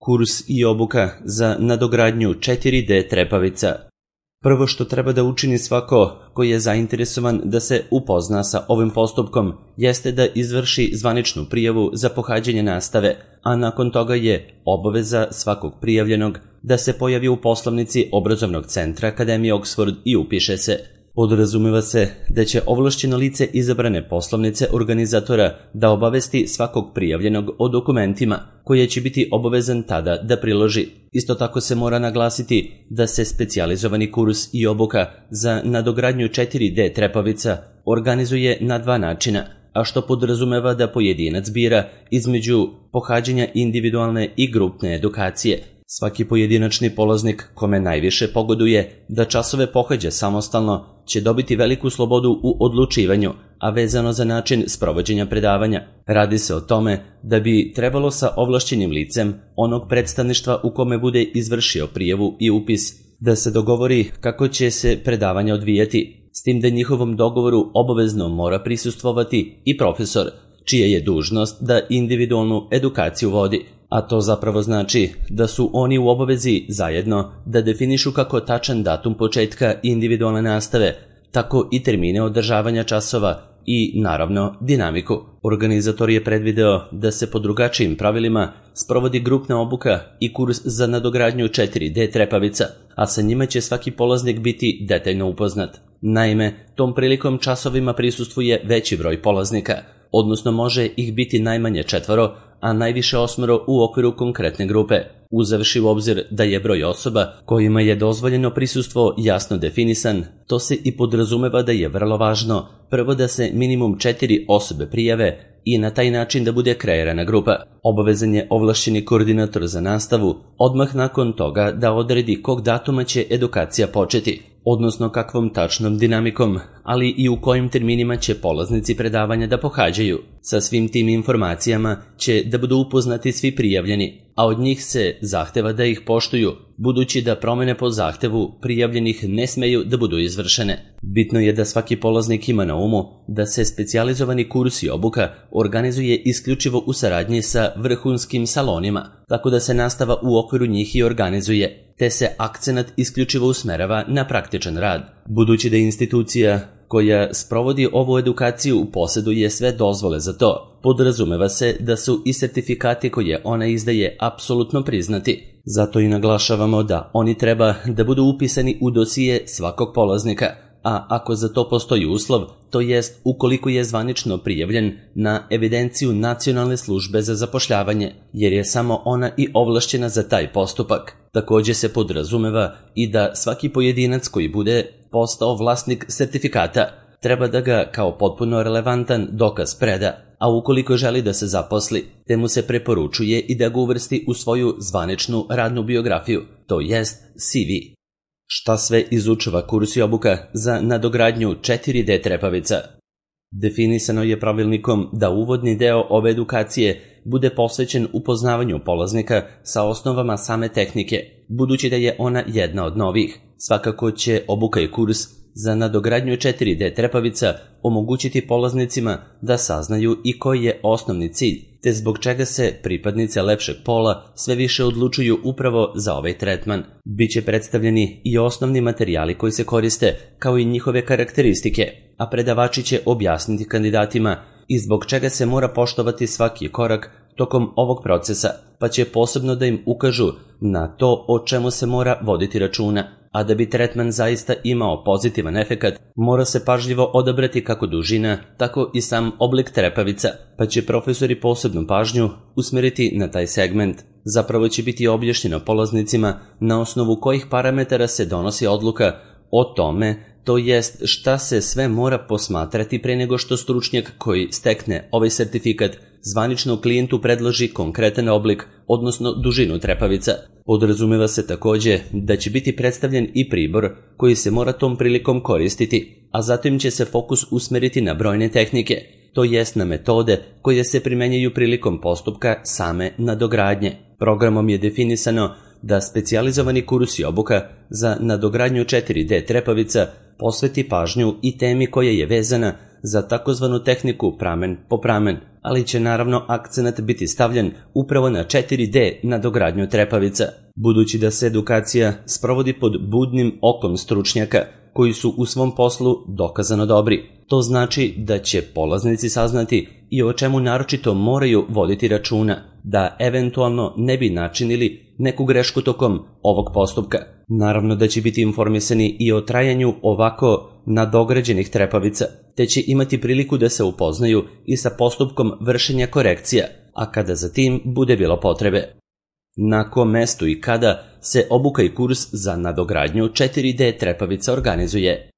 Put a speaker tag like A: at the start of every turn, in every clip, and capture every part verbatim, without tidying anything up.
A: Kurs i obuka za nadogradnju četiri D trepavica. Prvo što treba da učini svako koji je zainteresovan da se upozna sa ovim postupkom jeste da izvrši zvaničnu prijavu za pohađanje nastave, a nakon toga je obaveza svakog prijavljenog da se pojavi u poslovnici obrazovnog centra Akademije Oxford i upiše se. Podrazumeva se da će ovlašćeno lice izabrane poslovnice organizatora da obavesti svakog prijavljenog o dokumentima koje će biti obavezan tada da priloži. Isto tako se mora naglasiti da se specijalizovani kurs i obuka za nadogradnju četiri D trepavica organizuje na dva načina, a što podrazumeva da pojedinac bira između pohađanja individualne i grupne edukacije. Svaki pojedinačni polaznik kome najviše pogoduje da časove pohađa samostalno će dobiti veliku slobodu u odlučivanju, a vezano za način sprovođenja predavanja. Radi se o tome da bi trebalo sa ovlašćenim licem onog predstavništva u kome bude izvršio prijavu i upis da se dogovori kako će se predavanja odvijati, s tim da njihovom dogovoru obavezno mora prisustvovati i profesor, čija je dužnost da individualnu edukaciju vodi. A to zapravo znači da su oni u obavezi zajedno da definišu kako tačan datum početka individualne nastave, tako i termine održavanja časova i, naravno, dinamiku. Organizator je predvideo da se po drugačijim pravilima sprovodi grupna obuka i kurs za nadogradnju četiri D trepavica, a sa njima će svaki polaznik biti detaljno upoznat. Naime, tom prilikom časovima prisustvuje veći broj polaznika, odnosno može ih biti najmanje četvoro, a najviše osmoro u okviru konkretne grupe, uzevši u obzir da je broj osoba kojima je dozvoljeno prisustvo jasno definisan. To se i podrazumeva da je vrlo važno prvo da se minimum četiri osobe prijave i na taj način da bude kreirana grupa. Obavezan je ovlašćeni koordinator za nastavu odmah nakon toga da odredi kog datuma će edukacija početi, odnosno kakvom tačnom dinamikom, ali i u kojim terminima će polaznici predavanja da pohađaju. Sa svim tim informacijama će da budu upoznati svi prijavljeni, a od njih se zahteva da ih poštuju, budući da promene po zahtevu prijavljenih ne smeju da budu izvršene. Bitno je da svaki polaznik ima na umu da se specijalizovani kurs i obuka organizuje isključivo u saradnji sa vrhunskim salonima, tako da se nastava u okviru njih i organizuje, te se akcenat isključivo usmerava na praktičan rad. Budući da institucija koja sprovodi ovu edukaciju posjeduje sve dozvole za to, podrazumeva se da su i sertifikati koje ona izdaje apsolutno priznati. Zato i naglašavamo da oni treba da budu upisani u dosije svakog polaznika, a ako za to postoji uslov, to jest ukoliko je zvanično prijavljen na evidenciju Nacionalne službe za zapošljavanje, jer je samo ona i ovlašćena za taj postupak. Također se podrazumeva i da svaki pojedinac koji bude postao vlasnik sertifikata treba da ga kao potpuno relevantan dokaz preda, a ukoliko želi da se zaposli, te mu se preporučuje i da ga uvrsti u svoju zvaničnu radnu biografiju, to jest C V. Šta sve izučava kurs i obuka za nadogradnju četiri D trepavica? Definisano je pravilnikom da uvodni deo ove edukacije bude posvećen upoznavanju polaznika sa osnovama same tehnike, budući da je ona jedna od novih. Svakako će obuka i kurs za nadogradnju četiri D trepavica omogućiti polaznicima da saznaju i koji je osnovni cilj, te zbog čega se pripadnice lepšeg pola sve više odlučuju upravo za ovaj tretman. Biće predstavljeni i osnovni materijali koji se koriste, kao i njihove karakteristike, a predavači će objasniti kandidatima i zbog čega se mora poštovati svaki korak tokom ovog procesa, pa će posebno da im ukažu na to o čemu se mora voditi računa. A da bi tretman zaista imao pozitivan efekat, mora se pažljivo odabrati kako dužina, tako i sam oblik trepavica, pa će profesori posebnu pažnju usmeriti na taj segment. Zapravo će biti objašnjeno polaznicima na osnovu kojih parametara se donosi odluka o tome, to jest šta se sve mora posmatrati pre nego što stručnjak koji stekne ovaj sertifikat zvanično klijentu predloži konkretan oblik, odnosno dužinu trepavica. Podrazumeva se također da će biti predstavljen i pribor koji se mora tom prilikom koristiti, a zatim će se fokus usmeriti na brojne tehnike, to jest na metode koje se primenjaju prilikom postupka same nadogradnje. Programom je definisano da specijalizovani kurs i obuka za nadogradnju četiri D trepavica posveti pažnju i temi koja je vezana za takozvanu tehniku pramen po pramen, ali će naravno akcenat biti stavljen upravo na četiri D nadogradnju trepavica, budući da se edukacija sprovodi pod budnim okom stručnjaka koji su u svom poslu dokazano dobri. To znači da će polaznici saznati i o čemu naročito moraju voditi računa, da eventualno ne bi načinili neku grešku tokom ovog postupka. Naravno da će biti informisani i o trajanju ovako nadograđenih trepavica, te će imati priliku da se upoznaju i sa postupkom vršenja korekcija, a kada za tim bude bilo potrebe. Na kom mestu i kada se obuka i kurs za nadogradnju četiri D trepavica organizuje?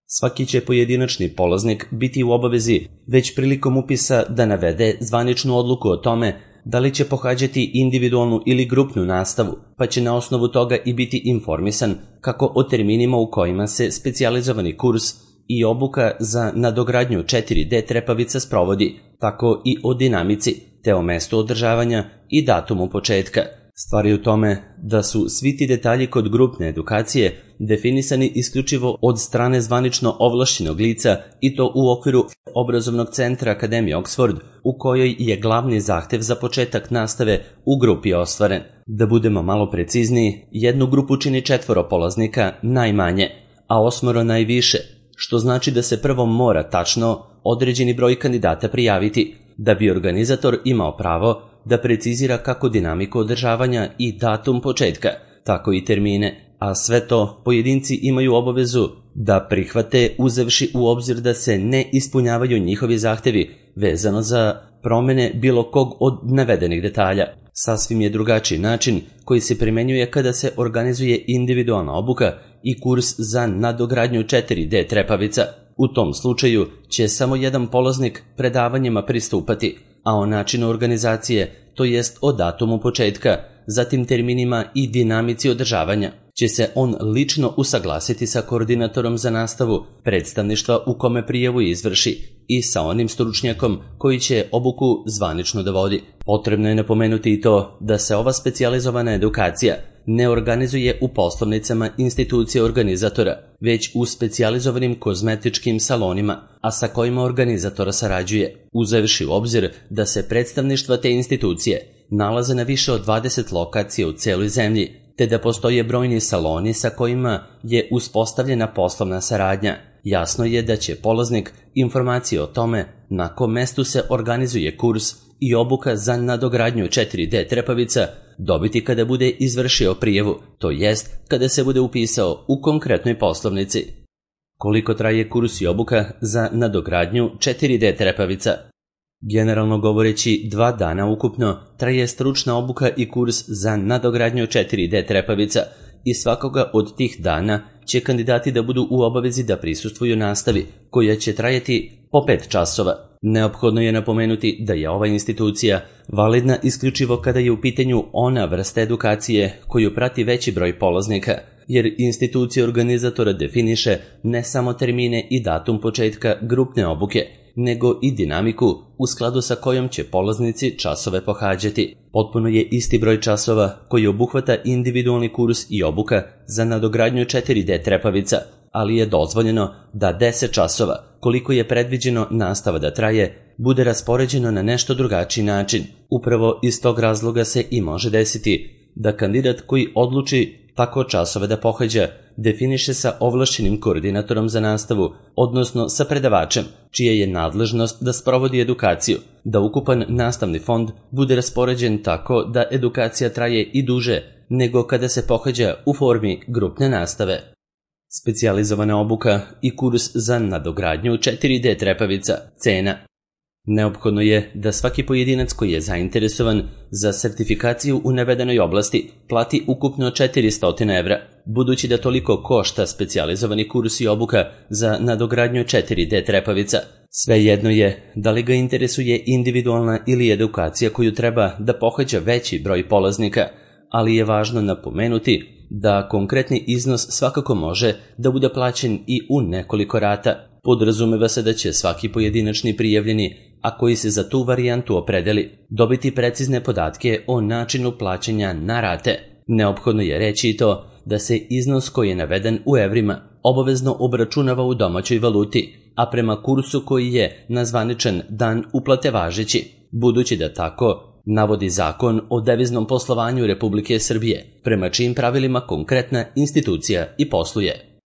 A: Svaki će pojedinačni polaznik biti u obavezi već prilikom upisa da navede zvaničnu odluku o tome da li će pohađati individualnu ili grupnu nastavu, pa će na osnovu toga i biti informisan kako o terminima u kojima se specijalizovani kurs i obuka za nadogradnju četiri D trepavica sprovodi, tako i o dinamici, te o mestu održavanja i datumu početka. Stvar je u tome da su svi ti detalji kod grupne edukacije definisani isključivo od strane zvanično ovlašćenog lica i to u okviru obrazovnog centra Akademije Oxford, u kojoj je glavni zahtev za početak nastave u grupi ostvaren. Da budemo malo precizniji, jednu grupu čini četvoro polaznika najmanje, a osmoro najviše, što znači da se prvo mora tačno određeni broj kandidata prijaviti, da bi organizator imao pravo da precizira kako dinamiku održavanja i datum početka, tako i termine, a sve to pojedinci imaju obavezu da prihvate uzevši u obzir da se ne ispunjavaju njihovi zahtevi vezano za promene bilo kog od navedenih detalja. Sasvim je drugačiji način koji se primenjuje kada se organizuje individualna obuka i kurs za nadogradnju četiri D trepavica. U tom slučaju će samo jedan polaznik predavanjima pristupati, a o načinu organizacije, to jest o datumu početka, zatim terminima i dinamici održavanja, će se on lično usaglasiti sa koordinatorom za nastavu predstavništva u kome prijavu izvrši i sa onim stručnjakom koji će obuku zvanično da vodi. Potrebno je napomenuti i to da se ova specijalizovana edukacija ne organizuje u poslovnicama institucije organizatora, već u specijalizovanim kozmetičkim salonima, a sa kojima organizatora sarađuje, uzevši u obzir da se predstavništva te institucije nalaze na više od dvadeset lokacija u celoj zemlji, te da postoje brojni saloni sa kojima je uspostavljena poslovna saradnja. Jasno je da će polaznik informacije o tome na kom mestu se organizuje kurs i obuka za nadogradnju četiri D trepavica dobiti kada bude izvršio prijavu, to jest kada se bude upisao u konkretnoj poslovnici. Koliko traje kurs i obuka za nadogradnju četiri D trepavica? Generalno govoreći, dva dana ukupno traje stručna obuka i kurs za nadogradnju četiri D trepavica i svakoga od tih dana će kandidati da budu u obavezi da prisustvuju nastavi, koja će trajati po pet časova. Neophodno je napomenuti da je ova institucija validna isključivo kada je u pitanju ona vrsta edukacije koju prati veći broj polaznika, jer institucija organizatora definiše ne samo termine i datum početka grupne obuke, nego i dinamiku u skladu sa kojom će polaznici časove pohađati. Potpuno je isti broj časova koji obuhvata individualni kurs i obuka za nadogradnju četiri D trepavica, ali je dozvoljeno da deset časova, koliko je predviđeno nastava da traje, bude raspoređeno na nešto drugačiji način. Upravo iz tog razloga se i može desiti da kandidat koji odluči tako časove da pohađa definiše sa ovlašćenim koordinatorom za nastavu, odnosno sa predavačem, čija je nadležnost da sprovodi edukaciju, da ukupan nastavni fond bude raspoređen tako da edukacija traje i duže nego kada se pohađa u formi grupne nastave. Specijalizovana obuka i kurs za nadogradnju četiri D trepavica. Cena. Neophodno je da svaki pojedinac koji je zainteresovan za sertifikaciju u navedenoj oblasti plati ukupno četiristo evra, budući da toliko košta specijalizovani kurs i obuka za nadogradnju četiri D trepavica. Svejedno je da li ga interesuje individualna ili edukacija koju treba da pohađa veći broj polaznika, ali je važno napomenuti da konkretni iznos svakako može da bude plaćen i u nekoliko rata. Podrazumeva se da će svaki pojedinačni prijavljeni, a koji se za tu varijantu opredeli, dobiti precizne podatke o načinu plaćanja na rate. Neophodno je reći i to da se iznos koji je naveden u evrima obavezno obračunava u domaćoj valuti, a prema kursu koji je na zvaničan dan uplate važeći, budući da tako navodi Zakon o deviznom poslovanju Republike Srbije, prema čijim pravilima konkretna institucija i posluje.